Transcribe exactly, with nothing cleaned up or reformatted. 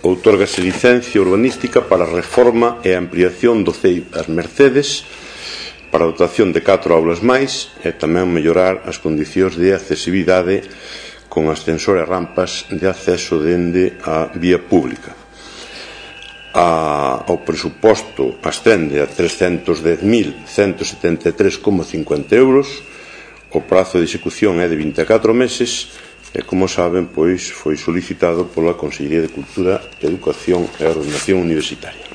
Outórgase licencia urbanística para a reforma e a ampliación do C E I As Mercedes, para a dotación de catro aulas máis e tamén mellorar as condicións de accesibilidade con ascensor e rampas de acceso dende a vía pública. A, o presuposto ascende a trescentos dez mil cento setenta e tres coma cincuenta euros, o prazo de execución é de vinte e catro meses e, como saben, pois foi solicitado pola Consellería de Cultura, Educación e Ordenación Universitaria.